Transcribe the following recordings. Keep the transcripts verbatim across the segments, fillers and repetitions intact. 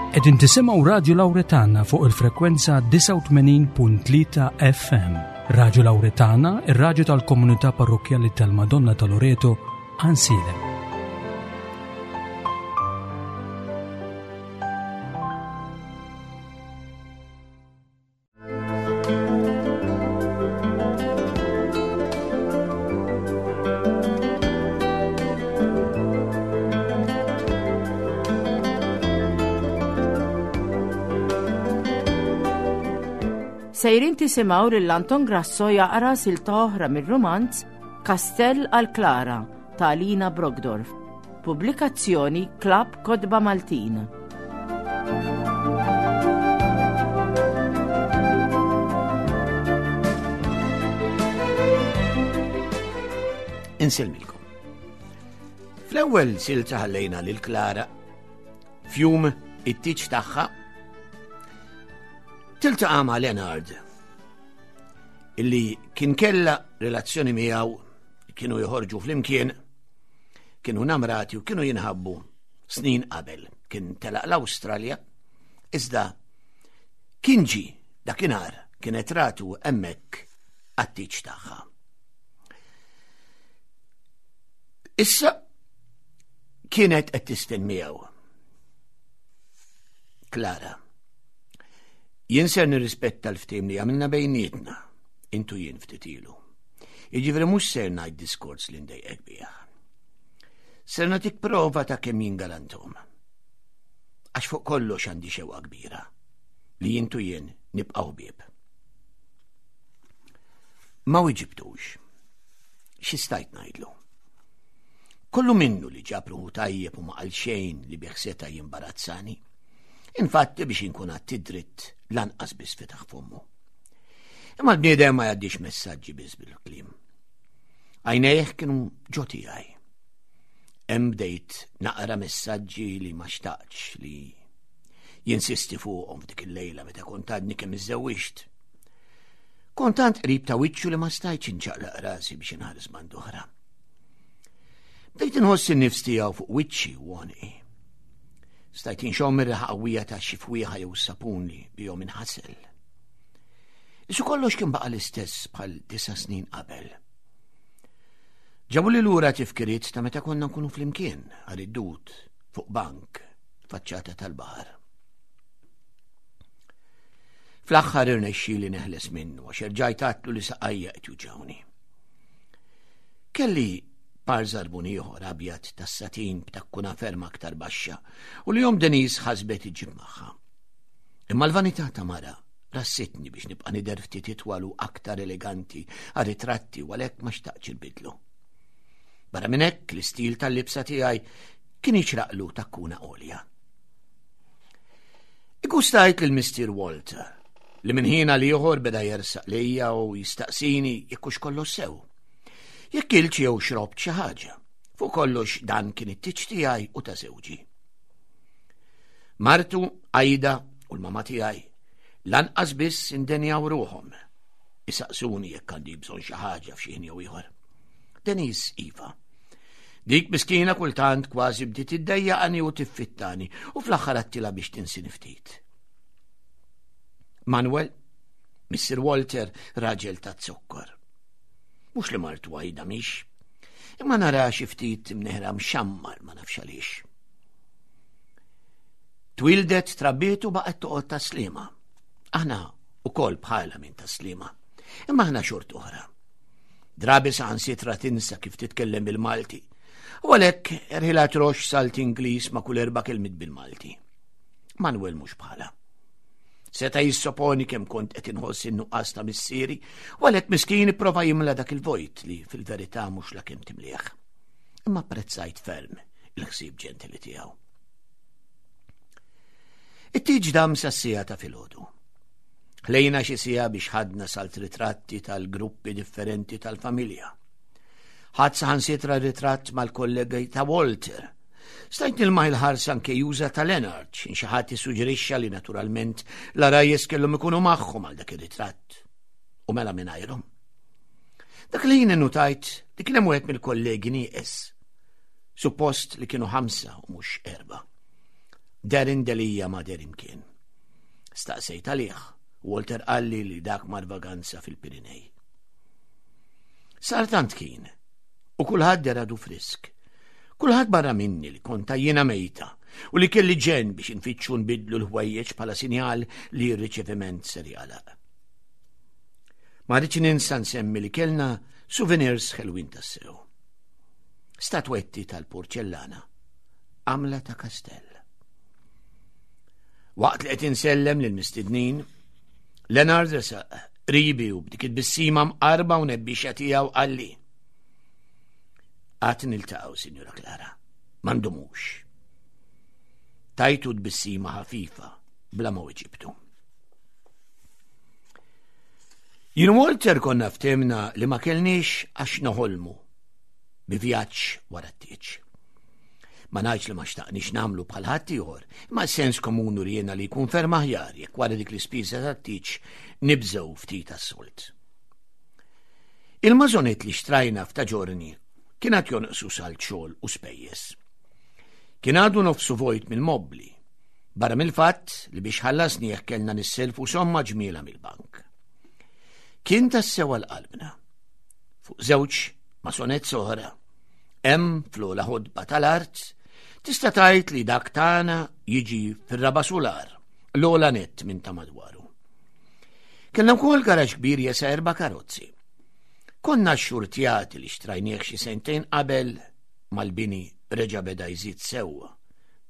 Qegħdin tisimgħu Radio Lauretana fuq il-frekwenza disgħa u tmenin punt tlieta F M. Radio Lauretana, ir-radju tal-Komunità Parrokkjali tal-Madonna ta' Loreto, Għajnsielem. Sejrin tisimgħu lil Anton Grasso jaqra silta oħra mir-rumanz Kastell għal Klara ta' Alina Brockdorff. Pubblikazzjoni Klabb Kotba Maltin. Insellmilkom. Fl-ewwel silta ħallejna lil Klara f'jum it-tieġ tagħha tiltaqa' ma' Leonard, illi kien kella relazzjoni miegħu, kienu joħorġu flimkien, kienu namrati u kienu jinħabbu snin qabel. Kien telaq l-Awstralja, iżda kien ġi dakinhar, kienet ratu hemmhekk għat-tieġ tagħha. Issa kienet qed tistenniegħu. "Klara, jien ser nirrispetta l-ftehim li għamilna bejnietna, intu jien ftit ilu. Jiġifieri mhux ser ngħid diskors li ndejqek bih. Ser nagħtik prova ta' kemm jien galantom. Għax fuq kollox għandi xewqa kbira li intu jien nibqgħu ħbieb." Ma wiġibtux. Xi stajt ngħidlu? Kollu minnu li ġab ruħu tajjeb u ma qal xejn li bih seta' jimbarazzani. Infatti, biex inkun għadt dritt, lanqas biss fetaħ fommu. Imma l-bniedem ma jgħaddix messaġġi biss bil-kliem. Għajnejh kienu ġo tiegħi. Hemm bdejt naqra messaġġi li ma xtaqx li jinsisti fuqhom f'dik il-lejla meta kont għadni kemm iżżewwiġt. Kont tant qrib ta' wiċċu li ma stajtx inċaqlaq rasi biex inħares band'oħra. Bdejt inħoss in-nifs tiegħu fuq wiċċi u għonqi. Stajt inxomm ir-riħa qawwija ta' xi fwieħa jew sapun li bihom inħasel. Isu kollox kien baqa' l-istess bħal disa' snin qabel. Ġabu li lura tifkiriet ta' meta konna nkunu flimkien għal id-dud fuq bank faċċata tal-baħar. Fl-aħħar irnexxieli neħles minnu għax erġajt għedtlu li saqajja qed juġgħuni. Kelli par żarbun ieħor abjad tas-satin b'takkuna ferm aktar baxxa u li omm Denise ħasbet iġib magħha. Imma l-vanità ta' mara rassitni biex nibqa' nidher ftit itwal u aktar eleganti għal ritratti u għalhekk ma xtaqtx inbiddlu. Barra minn hekk, l-istil tal-libsa tiegħi kien jixraqlu takkuna għolja. Igustajt lil Mister Walter, li minn ħin għal ieħor beda jersaq lejja u jistaqsini jekk hux kollox sew. Jekk kiltx jew xrobt xi ħaġa. Fuq kollox dan kien it-tieġ tiegħi u ta' żewġi. Martu, Ajda, u l-mama tiegħi lanqas biss indenjaw ruħhom isaqsuni jekk għandi bżonn xi ħaġa f'xi ħin jew ieħor. Denise iva. Dik miskina kultant kważi bdiet iddejjaqani u tiffittani u fl-aħħar għedtilha biex tinsini ftit. Manuel, Mister Walter, raġel ta' zokkor. Mhux li martu Ajda mhix, imma nara xi ftit mneħra mxammar, ma nafx għaliex. Twildet, trabbiet u baqgħet toqgħod Tas-Sliema. Aħna ukoll bħala minn Tas-Sliema. Imma aħna xort oħra. Drabi saħansitra tinsa kif titkellem bil-Malti. U għalhekk erħilha trox salt Ingliż ma' kull erba' kelmiet bil-Malti. Manuel mhux bħala. Seta' jissoponi kemm kont qed inħoss in-nuqqas ta' missieri, u għalhekk miskin ipprova jimla dak il-vojt li fil-verità mhux la kemm timlieħ. Imma apprezzajt ferm il-ħsieb ġentili tiegħu. It-tieġ dam sas-siegħa ta' filgħodu. Ħlejna xi siegħa biex ħadna salt ritratti tal-gruppi differenti tal-familja. Ħadt saħansitra ritratt mal-kollegi ta' Walter. Stajt nilmaħ il-ħarsa anke juża ta' Leonard, xin xi ħadd issuġġerixxa li naturalment l-għarajjes kellhom ikunu magħhom għal dak ir-ritratt. U mela mingħajrhom. Dak li jien innutajt li kien hemm wieħed mill-kollegi nieqes. Suppost li kienu ħamsa u mhux erba'. Darren Delia ma deher imkien. Staqsejt għalih, Walter qalli li dak mar vaganza fil-Pirinej. Sar tant kien, u kulħadd deher għadu frisk. Kulħadd barra minni li kont jiena mejta u li kelli ġen biex nfittxu nbidlu l-ħwejjeġ bħala sinjal li r-riċeviment ser jagħlaq. Ma rridx ninsa nsemmi li kellna souvenirs ħelwin tassew. Statwetti tal-porċellana, għamla ta' kastell. Waqt li qed insellem lil mistednin, Leonard resaq qribi u b'dik it-tbissima mqarba u nebbixa tiegħu qalli. Għad niltaqgħu, Sinjura Clara, ma ndumux. Tajtu tbissima ħafifa bla ma weġibtu. Jien Walter konna ftehmna li ma kellniex għax noħolmu bi vjaġġ wara t-tieġ. Ma ngħidx li ma xtaqniex nagħmlu bħal ħaddieħor, imma sens komuni wriena li jkun ferm aħjar jekk wara dik l-ispiża tat-tieġ nibżgħu ftit tas-solt. Il-maisonette li xtrajna f'Ta' Ġiorni kien għad jonqsu salt xogħol u spejjeż. Kien għadu nofsu vojt mill-mobli, barra mill-fatt li biex ħallasnieh kellna nisselfu somma ġmiela mill-bank. Kien tassew għal qalbna. Fuq żewġ maisonette oħra, hemm fl-ogħla ħodba tal-art, tista' tgħid li dak tagħna jiġi fir-raba' sular, l-ogħla nett minn ta' madwaru. Kellna wkoll garaġ kbir jesa' erba' karozzi. Konna xxurtjati li xtrajnieh xi sentejn qabel mal-bini reġa' beda jżid sewwa,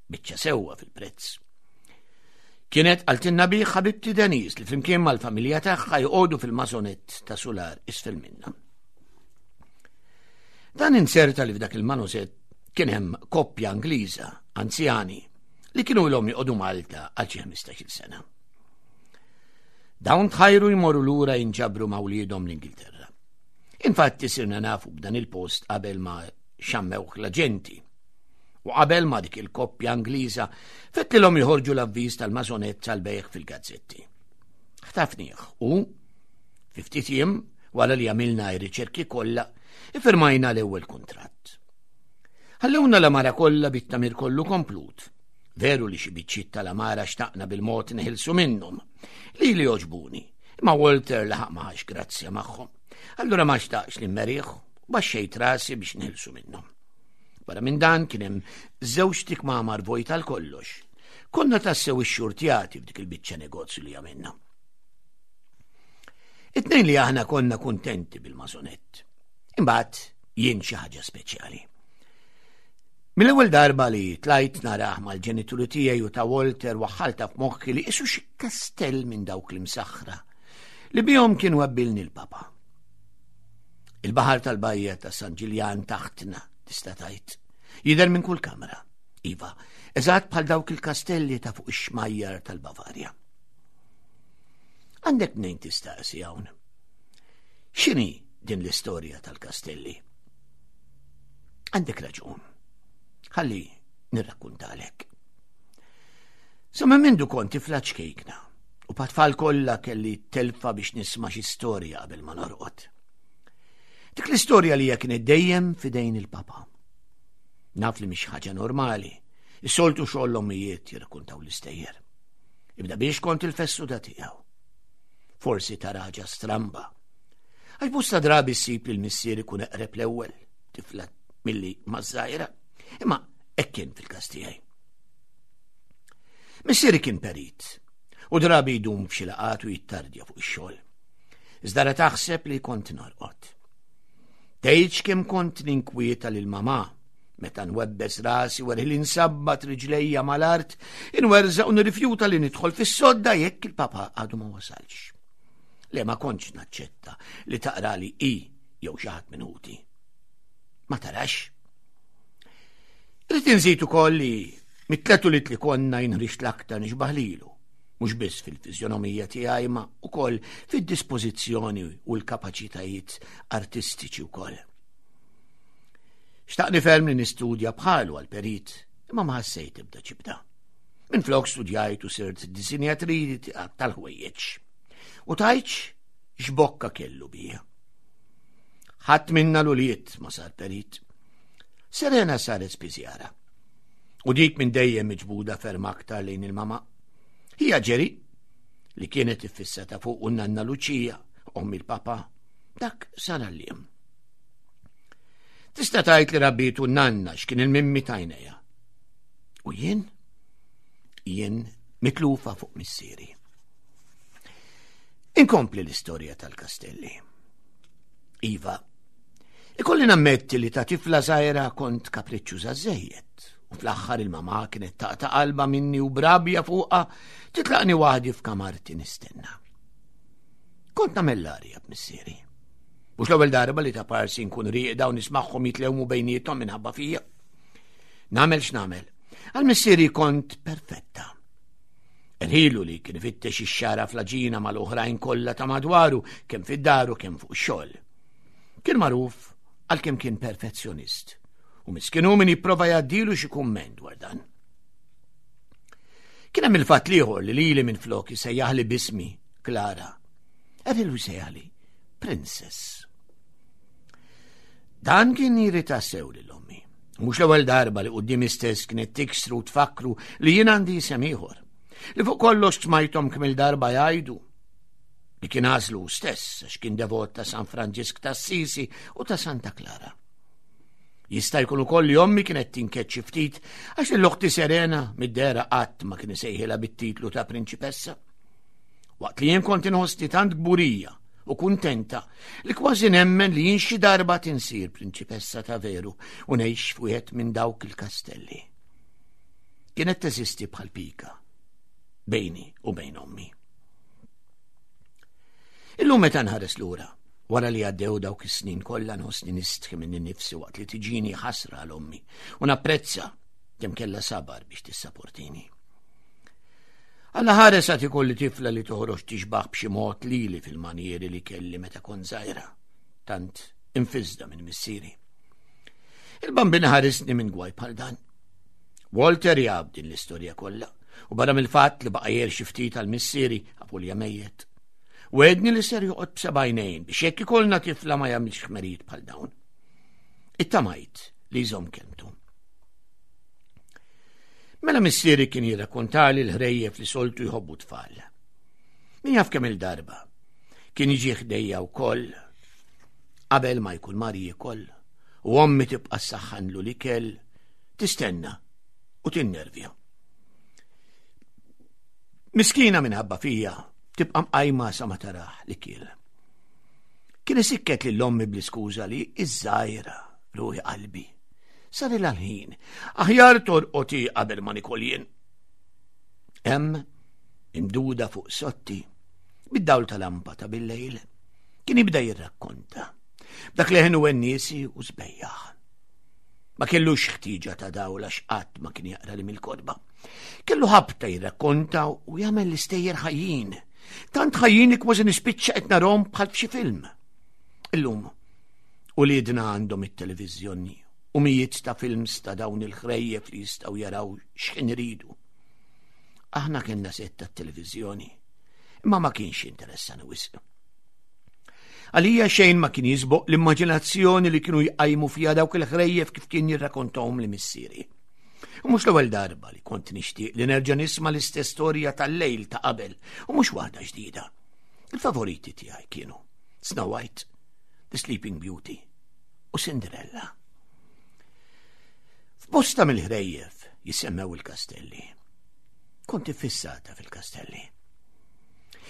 biċċa sewwa fil-prezz. Kienet qaltilna bih ħabibti Denise li flimkien mal-familja tagħha joqogħdu fil-maisonette ta' sular isfel minna. Dan inserta li f'dak il-maisonette kien hemm koppja Ingliża, anzjani, li kienu ilhom joqogħdu Malta għal xi ħmistax-il sena. Dawn tħajru jmorru lura jinġabru ma' wliedhom l-Ingilterra. Infatti sirna nafu b'dan il-post qabel ma xammewh l-aġenti. U qabel ma dik il-koppja Ingliża fettilhom joħorġu l-avviż tal-maisonette tal-bejgħ fil-gazzetti. Ħtafnieh u fi ftit jiem wara li għamilna r-riċerki kollha, iffirmajna l-ewwel kuntratt. Ħallewna l-għamara kollha bit-tagħmir kollu komplut. Veru li xi biċċiet tal-għamara xtaqna bil-mod neħilsu minnhom, li li jogħġbuni, imma Walter laħaq ma ħax grazzja magħhom. Allura ma xtaqx li mmerih u baxxejt rasi biex neħilsu minnhom. Wara minn dan kien hemm żewġ tikmamar vojt għal kollox. Konna tassew ixxurtjati f'dik il-biċċa negozju li għamilna. It-tnejn li aħna konna kuntenti bil-maisonette. Imbagħad jien xi ħaġa speċjali. Mill-ewwel darba li tlajt narah mal-ġenituri tiegħi u ta' Walter waħħalta f'moħħi li qisu xi kastell minn dawk l-imsaħħra li bihom kienu għabbilni l-papa. Il-baħar tal-bajja ta' San Ġiljan taħtna, tista' tgħid, jidher minn kull kamra. Iva, eżatt bħal dawk il-kastelli ta' fuq ix-xmajjar tal-Bavarja. Għandek mnejn tistaqsi hawn. X'inhi din l-istorja tal-kastelli? Għandek raġun. Ħalli nirrakkuntalek. Sa minn mindu kont tifla ċkejkna u pat-tfal kollha kelli telfa biex nisma' xi storja qabel ma norqod. Dik l-istorja li hija kienet dejjem f'idejn il-papa. Naf li mhix ħaġa normali, is-soltu xogħol l-ommijiet jirrakkuntaw l-istejjer. Ibda biex kont il-fessu da tiegħu. Forsi ta' raġa stramba. Għax bosta drabi ssib li l-missier ikun eqreb l-ewwel tifla milli maż-żgħira. Imma hekk kien fil-każ tiegħi. Missieri kien perit u drabi jdum f'xi laqgħat u jittardja fuq ix-xogħol. Iżda ra taħseb li kont norqod. Tgħidx kemm kont ninkwieta lil mamà meta nwebbes rasi wara li nsabbat riġlejja mal-art, inwerżaq u nirrifjuta li nidħol fis-sodda jekk il-papa għadu ma wasalx. Le ma kontx naċċetta li taqrali i jew xi ħadd minn ħuti. Ma tarax? Irrid inżid ukoll li mit-tliet ulied li konna jinħriġt l-aktar nixbaħ lilu, mhux biss fil-fiżjonomija tiegħi ma wkoll fid-dispożizzjoni u l-kapaċitajiet artistiċi wkoll. Xtaqni ferm li nistudja bħalu għal-perit, imma ma ħassejt ebda ġibda. Minflok studjajt u sirt disinjatri tal-ħwejjeġ. U tajċ x'bokka kellu bija. Ħadd minna l-ulied ma sar perit. Serena saret spiżjara. U dik minn dejjem miġbuda ferm aktar lejn il-mama. Hija Ġeri, li kienet iffissata fuq u nanna Luċija, omm il-papa, dak sar għalliem. Tista' tgħid li rabbitu nanna x'kien il-mimmi tajnejja. U jien? Jien mitlufa fuq missieri. Inkompli l-istorja tal-kastelli. Iva, ikolli nammetti li ta' tifla żgħira kont kapriċċuża żejjed u fl-aħħar il-mama kienet taqta' qalba minni u b'rabja fuqha titlaqni waħdi f'kamarti nistenna. Kont nagħmel l-arja b'missieri. Mhux l-ewwel darba li ta' parsi nkun rieqda u nismagħhom jitlewmu bejniethom minħabba fija. Nagħmel x'nagħmel. Għal missieri kont perfetta. Erħilu li kien ifittex ix-xara fl-għaġina mal-oħrajn kollha ta' madwaru kemm fid-dar u kemm fuq ix-xogħol. Kien magħruf għal kemm kien perfezzjonist u miskinu min jipprova jgħaddilu xi kumment dwar dan. Kien hemm il-fatt l-ieħor li lili minn flok isejjaħli b'ismi Klara. Erħilu jsejjaħli Princess. Dan kien jirrita sew lil ommi. Mhux l-ewwel darba li quddiemi stess kienet tiksru u tfakru li jien għandi isem ieħor. Li fuq kollox smajthom kemm il-darba jgħidu li kien għażlu stess għax kien devot ta' San Franġisk ta' Assisi u ta' Santa Klara. Jista' jkun ukoll li ommi kienet tinkeċċi ftit għax lil oħti Serena mid-dehra qatt ma kien isejħilha bit-titlu ta' prinċipessa. Waqt li jien kont inħossni tant kburija u kuntenta li kważi nemmen li jien xi darba tinsir prinċipessa ta' veru u ngħix f'wieħed minn dawk il-kastelli. Kienet teżisti bħal pika bejni u bejn ommi. Illum meta nħares lura, wara li għaddew dawk is-snin kollha nħossni nistħi minni nnifsi waqt li tiġini ħasra għal ommi u napprezza kemm kellha sabar biex tissaportini. Alla ħares għad ikolli tifla li toħroġ tixbaħ b'xi mod lili fil-manjieri li kelli meta kont żgħira, tant infisda minn missieri. Il-Bambin ħarisni minn gwaj bħal dan. Walter jaf din l-istorja kollha u barra mill-fatt li baqa' jgħir xi ftit għal missieri apulja mejjet. Wegħedni li ser joqgħod b'sebgħajnejn biex jekk ikollna tifla ma jagħmilx ħmerijiet bħal dawn. Ittamajt li jżomm kelmtu. Mela missieri kien jirrakkontali l-ħrejjef li soltu jħobbu tfal. Min jaf kemm il-darba. Kien jiġi ħdejja wkoll qabel ma jkun mar jiekol u ommi tibqa' ssaħħanlu l-ikel tistenna u tinnervja. Miskina minħabba fija tibqa' mqajma sa ma tarah li kiel. Kien isikket lil ommi bl-iskuża li iż-żgħira ruħi qalbi. Sar il-ħin, aħjar torqoti qabel ma nikol jien. Hemm imduda fuq sotti, bid-dawl tal-lampa ta' bil-lejl, kien jibda jirrakkonta. Dak leħen u wennisi u sbejjaħ. Ma kellux ħtieġa ta' dawl għax qatt ma kien jaqra li mill-kotba. Kellu ħabta jirrakkonta u jagħmel l-istejjer ħajjin. Tant ħajjin li kważi nispiċċa qed narhom bħal f'xi film. Illum, uliedna għandhom it-televiżjoni u mijiet ta' films ta' dawn il-ħrejjef li jistgħu jaraw x'ħin iridu. Aħna kellna sett tat-televiżjoni, imma ma kienx interessani wisq. Għalija xejn ma kien jisboq l-immaġinazzjoni li kienu jqajmu fija dawk il-ħrejjef kif kien jirrakkontahom li missieri. U mhux l-ewwel darba li kont nixtieq li nerġa' nisma' l-istess storja tal-lejl ta' qabel u mhux waħda ġdida. Il-favoriti tiegħi kienu Snow White, The Sleeping Beauty u Cinderella. F'bosta mill-ħrejjef jisemmew il-kastelli. Kont iffissata fil-kastelli.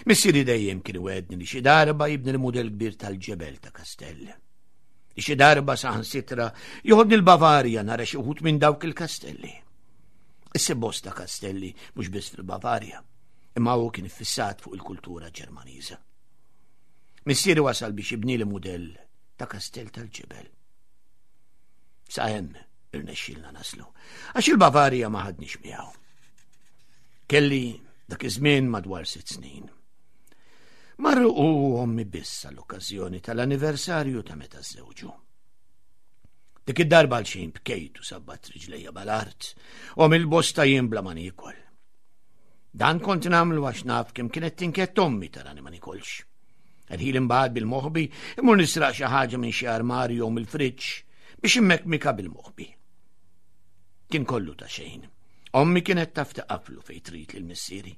Missieri dejjem kien iwegħedni li xi darba jibni l-mudell kbir tal-ġebel ta' kastell. Li xi darba saħansitra joħodni l-Bavarja nara xi wħud minn dawk il-kastelli. Issib bosta kastelli mhux biss fil-Bavarja, imma hu kien iffissat fuq il-kultura Ġermaniża. Missieri wasal biex jibni li mudell ta' kastell tal-ġebel. Sa hemm irnexxielna naslu, għax il-Bavarja ma ħadniex miegħu. Kelli dak iż-żmien madwar sitt snin. Marru u ommi biss għall-okkażjoni tal-anniversarju ta' meta żżewġu. Dik id-darba għal xejn bkejt u sabbat riġlejja bal-art u mill-bosta jien bla ma niekol. Dan kont nagħmlu għax naf kemm kienet tinkett ommi tarani ma nikolx. Erħil imbagħad bil-moħbi imur nisraq xi ħaġa minn xi armarju jew mill-friġġ biex immekmika bil-moħbi. Kien kollu ta' xejn. Ommi kienet taf taqaflu fejn trid lil missieri.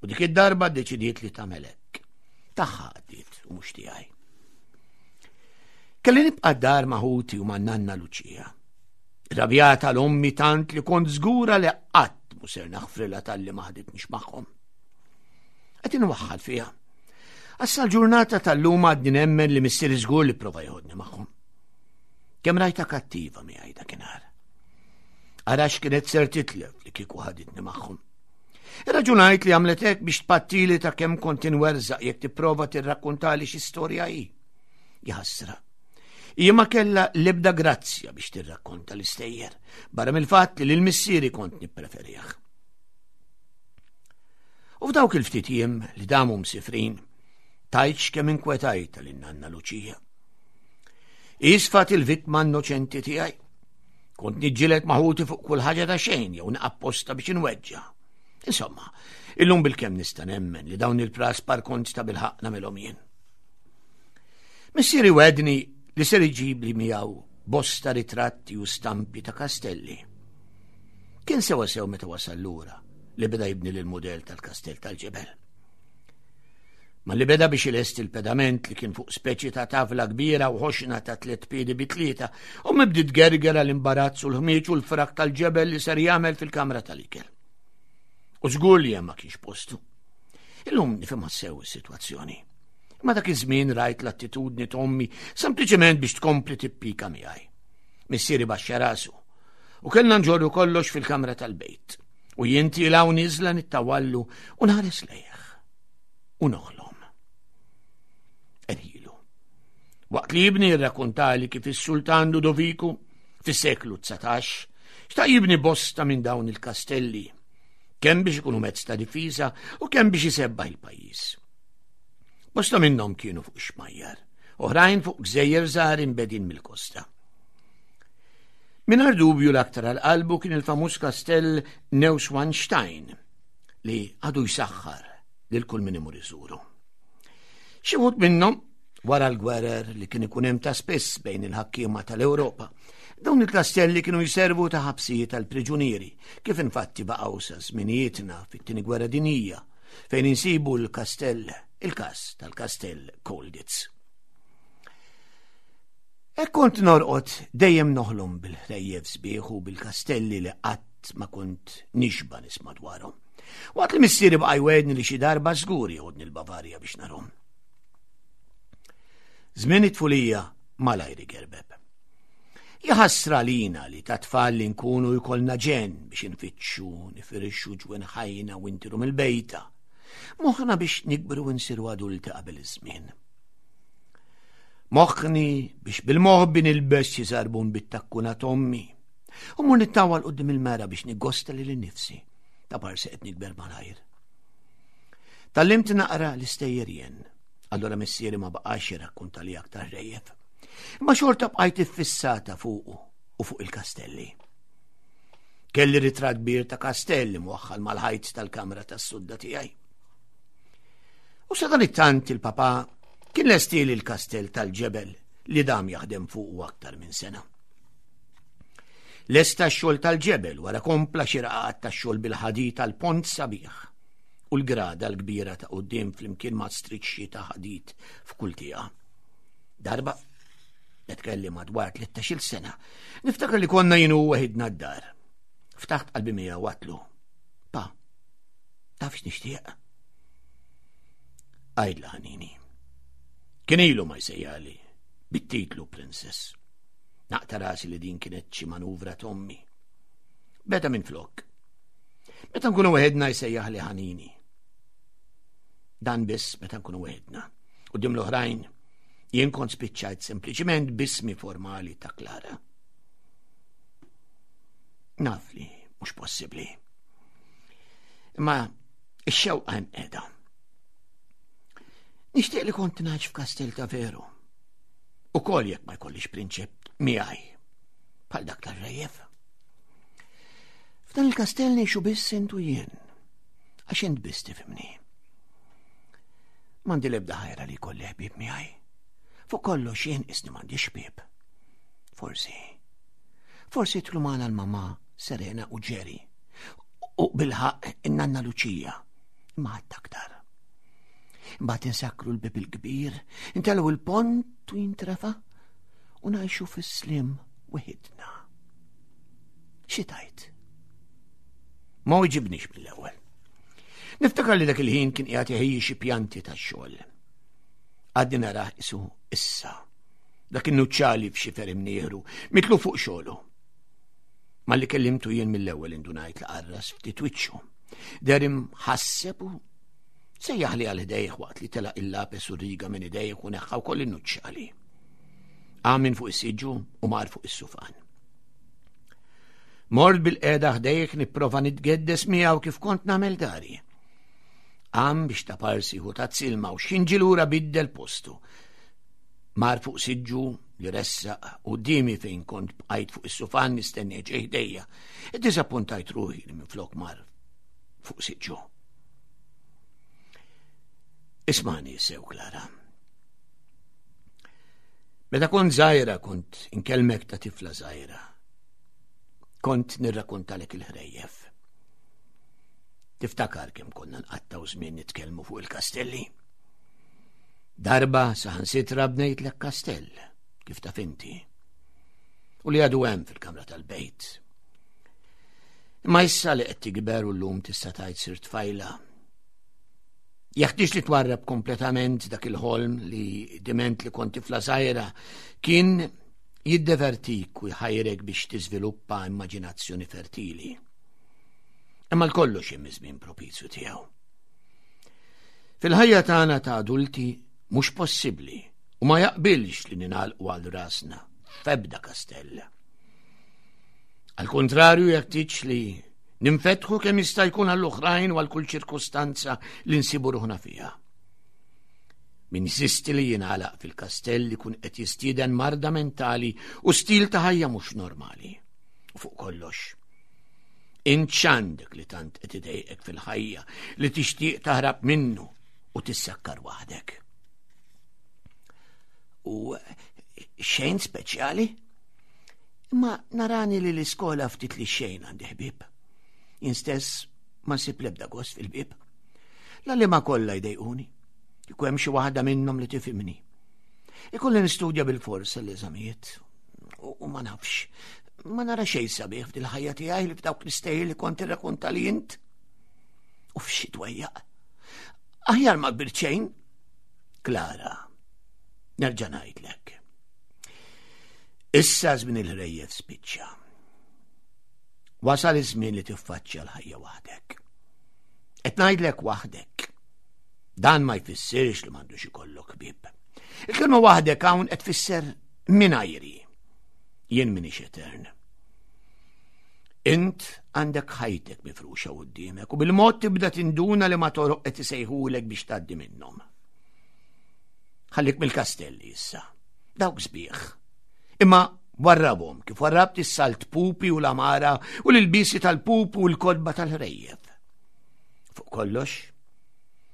U dik id-darba ddeċidiet li tagħmel hekk. Tagħha għaddiet u mhux tiegħi. Kelli nibqa' d-dar ma' ħuti u ma' nanna Luċija. Rabjata l-ommi tant li kont żgura li qatt mhu ser naħfrilha talli ma ħaditnix magħhom. Qed inwaħħal fiha. Issa l-ġurnata tal-lum għadni nemmen li missieri żgur li prova jħodni magħhom. Kemm rajta kattiva miegħi dakinhar. Arax kienet ser titlef li kieku ħaditni magħhom. Irraġunajt li għamlet hekk biex tpattili ta' kemm kont inwerżaq jekk tipprova tirrakkuntali xi storja hi. Jaħasra. Hija ma kellha l-ebda grazzja biex tirrakkonta l-istejjer, barra mill-fatt li lil missieri kont nippreferih. U f'dawk il-ftit jiem li damu msifrin, tajtx kemm inkwetajta lil nanna Luċija. Isfat il-vittma innoċenti tiegħi. Kont niġġieled ma' ħuti fuq kull ħaġa ta' xejn jew naqapposta biex inweġġa. Insomma, illum bil-kemm nista' nemmen li dawn il-praspar kont ta' bilħaqq nagħmilhom jien. Missieri wegħedni li ser iġibli miegħu bosta ritratti u stampi ta' kastelli. Kien sewa sew meta wasal lura li beda jibni l-modell tal-kastell tal-ġebel. Ma li beda biex ilesti il-pedament li kien fuq speċi ta' tavla kbira u ħoxna ta' tliet piedi bi tlieta u mibdi tgergera l-imbarazz u l-ħmieġ u l-frak tal-ġebel li ser jagħmel fil-kamra tal-ikel. U żgur li hemm ma kienx postu. Illum nifhimha sew is-sitwazzjoni. Ma dak iż-żmien rajt l-attitudni t'ommi sempliċement biex tkompli tippika miegħi. Missieri baxxa rasu u kellna nġorru kollox fil-kamra tal-bejt. U jien tiela' u niżla nittawallu u nħares lejh. U noħlom. Erħilu. Waqt li jibni jirrakkontali kif is-Sultan Ludoviku fis-seklu dsatax xtaq jibni bosta minn dawn il-kastelli, kemm biex ikunu mezz ta' difiża u kemm biex isebbaħ il-pajjiż. Bosta minnhom kienu fuq xmajjar, oħrajn fuq gżejjer żgħar imbegħdin mill-kosta. Mingħajr dubju l-aktar għal qalbu kien il-famuż kastell Neuschwanstein li għadu jsaħħar lil kull min imur iżuru. Xi wħud minnhom wara l-gwerer li kien ikun hemm ta' spiss bejn il-ħakkiema tal-Ewropa, dawn il-kastelli kienu jservu ta' ħabsijiet tal-priġunieri, kif infatti baqgħu sa żminijietna fit-tieni gwerra dinjija, fejn insibu l-kastell, il-każ tal-kastell Colditz. Hekk kont norqod dejjem noħlom bil-ħrejjef sbieħ u bil-kastelli li qatt ma kont nixba nisma' dwarhom. Waqt li missieri baqa' jwegħedni li xi darba żgur jeħodni l-Bavarja biex narhom. Żmien it-tfulija malajr igerbeb. Jaħasra lina li ta' tfal li nkunu jkollna ġen biex infittxu, nifirixxu ġwenħajna u ntiru mill-bejta. Moħħna biex nikbru u nsiru adulti qabel iż-żmien. Moħħni biex bil-moħbi nilbes xi żarbun bit-takkuna t'ommi. U mur nittawal quddiem il-mera biex niggosta lili nnifsi ta' parsi qed nikber malajr. Tgħallimt naqra l-istejjer jien. Allora missieri ma baqax jirrakkonta li aktar ħrejjef. Imma xorta bqajt iffissata fuqu u fuq il-kastelli. Kelli ritratt kbir ta' kastelli mwaħħal mal-ħajt tal-kamra tas-sodda tiegħi. U sa dan it-tant il-papa kien lestieli l-kastell tal-ġebel li dam jaħdem fuqu aktar minn sena. Lesta x-xogħol tal-ġebel wara kompla xi raqat tax-xogħol bil-ħadid tal-pont sabiħ u l-grada l-kbira ta' quddiem flimkien ma' striċċi ta' ħadid f'kull tieqa. Darba, qed kelli madwar tlettax-il sena, niftakar li konna jien u weħidna d-dar. Ftaħt qalbi miegħu għedtlu. Pa, taf x'nixtieq? Għidla ħanini. Kien ilu ma jsejjali bit-titlu Princess. Naqta' rasi li din kienet xi manuvra t'ommi. Beda minn flok. Meta nkunu weħidna jsejjaħ li ħanini. Dan biss meta nkunu weħidna. Quddiem l-oħrajn jien kont spiċċajt sempliċiment b'ismi formali ta' Klara. Naf li mhux possibbli. Imma ix-xewqa hemm qiegħda. Nixtieq li kont ngħix f'kastell ta' veru. Ukoll jekk ma jkollix prinċep miegħi bħal dak tar-rejjef. F'dan il-kastell ngħixu biss int u jien, għax int biss tifhimni. M'għandi l-ebda ħajra li jkolli ħbieb miegħi. Fuq kollox jien isni m'għandix ħbieb. Forsi, forsi jidħlu magħna l-mamà Serena u Jerry. U bilħaqq in-nanna Luċija. Imma ħadd aktar. Imbagħad insakkru l-bib il-kbir, intellgħu il-pont u jintrefa' u ngħixu fis-slim weħidna. Xi tgħid? Ma weġibnix mill-ewwel. Niftakar li dak il-ħin kien qiegħed iħejji xi pjanti tax-xogħol. Għadni narah isu issa. Dak in-nuċċali f'xifer imnieħru, mitlu fuq xogħlu. Malli kellimtu jien mill-ewwel indunajt li qarras ftit wiċċu. Deher imħasseb u sejjaħli għal ħdejh waqt li telaq il-lapes u riga minn idejh u neħħa wkoll in-nuċċali. Qam minn fuq is-siġġu u mar fuq is-sufan. Mort bilqiegħda ħdejh nipprova nitgeddes miegħu kif kont nagħmel dari. Qam biex taparsi jieħu tazza ilma u x'ħin ġie lura biddel postu. Mar fuq siġġu li ressaq quddiemi fejn kont bqajt fuq is-sufan nistenni ġej ħdejja. Iddiżappuntajt ruħi li minflok mar fuq siġġu. Ismagħni sew, Klara. Meta kont żgħira kont inkellmek ta' tifla żgħira. Kont nirrakkontalek il-ħrejjef. Tiftakar kemm konna nqattgħu żmien nitkellmu fuq il-kastelli? Darba saħansitra bnejtlek kastell, kif taf inti. U li għadu hemm fil-kamra tal-bejt. Imma issa li qed tikber u llum tista' tgħid sirt tfajla. Jeħtieġ li twarrab kompletament dak il-ħolm li diment li kont tifla żgħira kien jiddevertik u jħajrek biex tiżviluppa immaġinazzjoni fertili. Imma l-kollox hemm żmien propizju tiegħu. Fil-ħajja tagħna ta' adulti mhux possibbli u ma jaqbilx li ningħalqu għal rasna f'ebda kastell. Al kontrarju jeħtieġ li ninfetħu kemm jista' jkun għall-oħrajn u għal kull ċirkustanza li nsibu ruħna fiha. Min jinsisti li jingħalaq fil-kastell ikun qed jistieden marda mentali u stil ta' ħajja mhux normali. U fuq kollox, int x'għandek li tant qed idejqek fil-ħajja li tixtieq taħrab minnu u tissakkar waħdek. U xejn speċjali? Imma narani li l-iskola ftit li xejn għandi ħbieb. Jien stess ma nsib l-ebda gost fil-ħbieb. L-għalliema kollha jdejquni. Kieku hemm xi waħda minnhom li tifhimni. Ikolli nistudja bil-fors l-eżamijiet u ma nafx. Ma nara xejn sabiħ f'dil-ħajja tiegħi li f'dawk l-istejjer li kont irrakkonta li int. U f'xi dwejjaq. Aħjar ma kbirt xejn. Klara, nerġa' ngħidlek. Issa żmien il-ħrejjef spiċċa. Wasal iż-żmien li tiffaċċja l-ħajja waħdek. Qed ngħidlek waħdek. Dan ma jfissirx li m'għandux ikollok ħbieb. Il-kelma waħdek hawn qed tfisser mingħajri. Jien m'iniex etern. Int għandek ħajtek mifruxa quddiemek u bil-mod tibda tinduna li ma toroq qed isejħulek biex tgħaddi minnhom. Ħallik mill-kastelli issa. Dawk sbieħ. Imma warrabhom kif warrabt is-salt pupi u l-amara u l-ilbiesi tal-pupu u l-kotba tal-ħrejjef. Fuq kollox,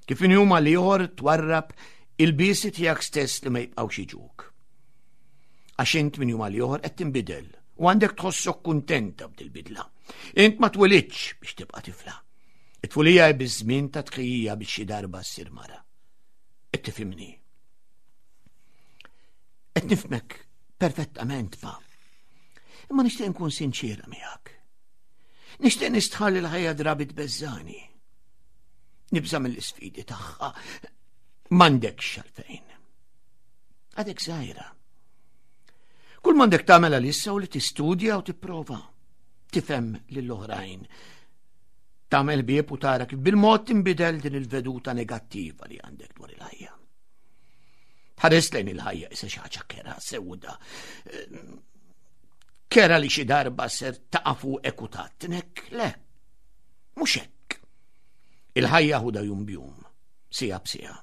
kif minn jum għal ieħor twarrab il-biesi tiegħek stess li ma jibqgħux jiġuk. Għax int minn jum għal ieħor qed tinbidel u għandek tħossok kuntenta b'dil-bidla. Int ma twelidtx biex tibqa' tifla. It-tfulija hi biż-żmien ta' tħejjija biex xi darba ssir mara. Qed tifhimni. Qed nifhmek perfettament, pa. Imma nixtieq nkun sinċira miegħek. Nixtieq nistqarr li l-ħajja drabi tbeżżagħni. Nibża' mill-isfidi tagħha. M'għandekx għalfejn. Għadek żgħira. Kull m'għandek tagħmel għalissa u li tistudja u tipprova. Tifhem lill-oħrajn. Tagħmel ħbieb u tara kif bil-mod tinbidel din il-veduta negattiva li għandek dwar il-ħajja. Tħares lejn il-ħajja issa xi ħaġa kerha sewda. Kerha li xi darba ser taqa' fuqek u tgħattnek, le. Mhux hekk. Il-ħajja ħudha jum b'jum, siegħa b'siegħa.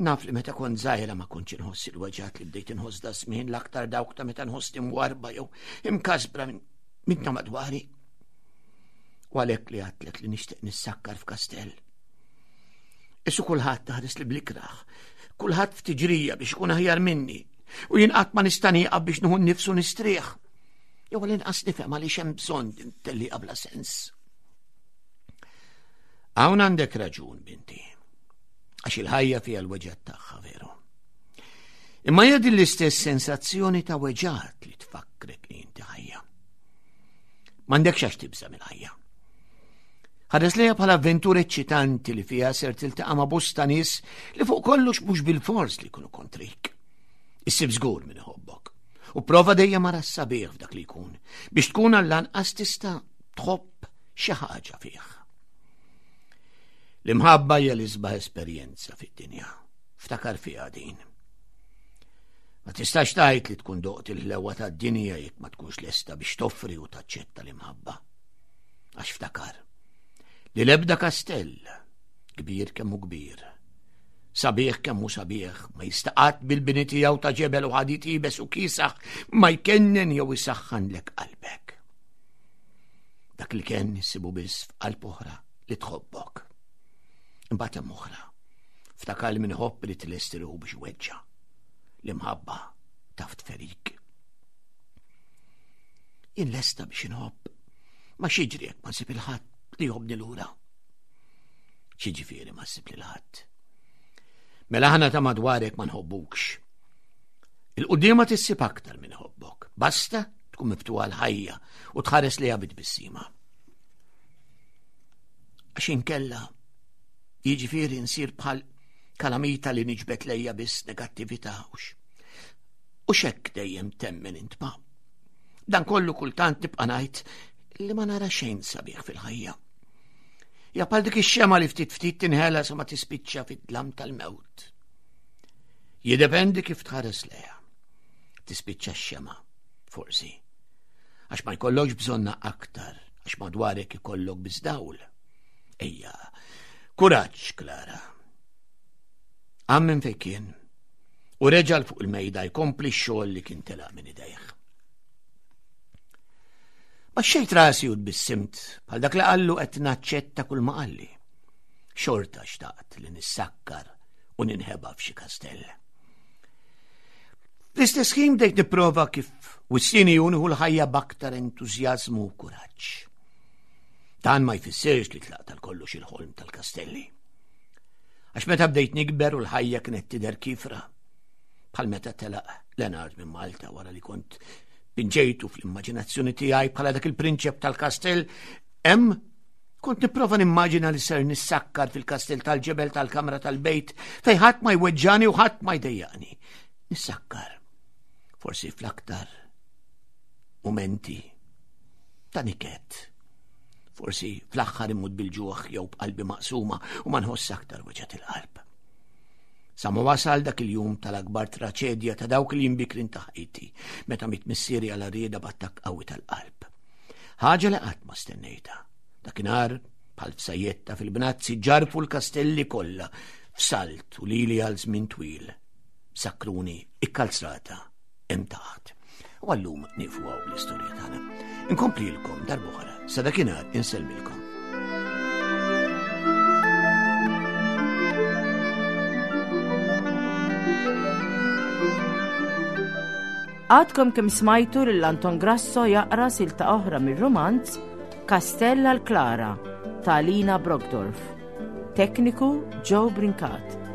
Naf li meta kont żgħira ma kontx inħoss il-weġgħat li bdejt inħoss da żmien l-aktar dawk ta' meta nħossni mwarrba jew imkasbra minn ta' madwari. U għalhekk li għedtlek li nixtieq nissakkar f'kastell. Qisu kulħadd iħares li bl-ikrah, kulħadd f'tiġrija biex ikun aħjar minni, u jien qatt ma nista' nieqaf biex nieħu nifs u nistrieħ. Jew għal-inqas nifhem għaliex hemm bżonn din tellieqa bla sens. Hawn għandek raġun, binti. Għax il-ħajja fiha l-weġgħat tagħha veru. Imma hija din l-istess sensazzjoni ta' weġgħat li tfakkrek li inti ħajja. M'għandekx għax tibża' mill-ħajja. Ħares lejha bħala avventura eċċitanti li fiha ser tiltaqa' ma' bosta nies li fuq kollox mhux bil-fors li jkunu kontrik. Issib żgur min iħobbok. U prova dejjem ara s-sabiħ f'dak li jkun biex tkun għall-anqas tista' tħobb xi ħaġa fih. L-imħabba hija l-isbaħ esperjenza fid-dinja. Ftakar fiha din. Ma tistax tgħid li tkun doqt il-ħlewa tad-dinja jekk ma tkunx lesta biex toffri u taċċetta l-imħabba. Għax ftakar li l-ebda kastell, kbir kemm hu kbir, sabiħ kemm hu sabiħ, ma jista' qatt bil-bini tiegħu ta' ġebel u ħadid iebes u kiesaħ ma jkennen jew isaħħanlek qalbek. Dak li kien issibu biss f'qalb oħra li tħobbok. Imbagħad hemm oħra. Ftakar li min iħobb irid ilesti ruħu biex iweġġa'. L-imħabba taf tferik. Jien lesta biex inħobb, ma x'jiġri jekk ma nsib lil ħadd li jħobbni lura. X'jiġifieri ma ssib lil ħadd. Mela aħna ta' madwarek ma nħobbukx. Il-quddiem għad issib aktar min iħobbok. Basta tkun miftuħa l-ħajja u tħares lejha bit-tbissima. Għax inkella jiġifieri nsir bħal kalamita li niġbed lejja biss negattività ux. U xek dejjem temmen int ma. Dan kollu kultant nibqa' ngħid li ma nara xejn sabiħ fil-ħajja. Ja bħal dik ix-xema li ftit ftit tinħela sa ma tispiċċa fid-dlam tal-mewt. Jiddependi kif tħares lejha. Tispiċċa x-xema, forsi. Għax ma jkollokx bżonna aktar, għax madwarek ikollok biss dawl. Ejja, kuraġġ, Klara. Qam minn fejn kien u reġa' fuq il-mejda jkompli x-xogħol li kien telaq minn idejh. Baxxejt rasi u tbissimt bħal dak li qallu qed naċċetta kull ma qalli. Xorta xtaqt li nissakkar u ninħeba f'xi kastell. Fl-istess ħin bdejt nipprova kif wissieni hu nieħu l-ħajja b'aktar entużjażmu u kuraġġ. Dan ma jfissirx li tlaqt għal kollox il-ħolm tal-kastelli. Għax meta bdejt nikber u l-ħajja kienet tidher kifra, bħal meta telaq Leonard minn Malta wara li kont pinġejtu fl-immaġinazzjoni tiegħi bħala dak il-prinċep tal-kastell, hemm kont nipprova nimmaġina li ser nissakkar fil-kastell tal-ġebel tal-kamra tal-bejt fejn ħadd ma jweġġani u ħadd ma jdejjaqni. Nissakkar. Forsi fl-aktar momenti ta' niket. Forsi fl-aħħar immut bil-ġuħ jew b'qalbi maqsuma u ma nħoss aktar weġgħat il-qalb. Sa ma wasal dak il-jum tal-akbar traċedja ta' dawk li jimbikrin ta' ħajti, meta miet missieri għal rieda b'attakk qawwi tal-qalb. Ħaġa li qatt ma stennejta. Dakinhar bħal f'sajjetta fil-bnazzi ġarfu l-kastelli kollha f'salt u lili għal żmien twil. Sakruni ikkalzrata hemm taħt. U għallum nieqfu hawn bl-istorja tagħna. Inkomplilkom darb'oħra, sa dakinhar insellmilkom. Għadkom kemm smajtu lil Anton Grasso jaqra silta oħra mir-romanz Kastell għal Klara ta' Alina Brockdorff. Tekniku Joe Brincat.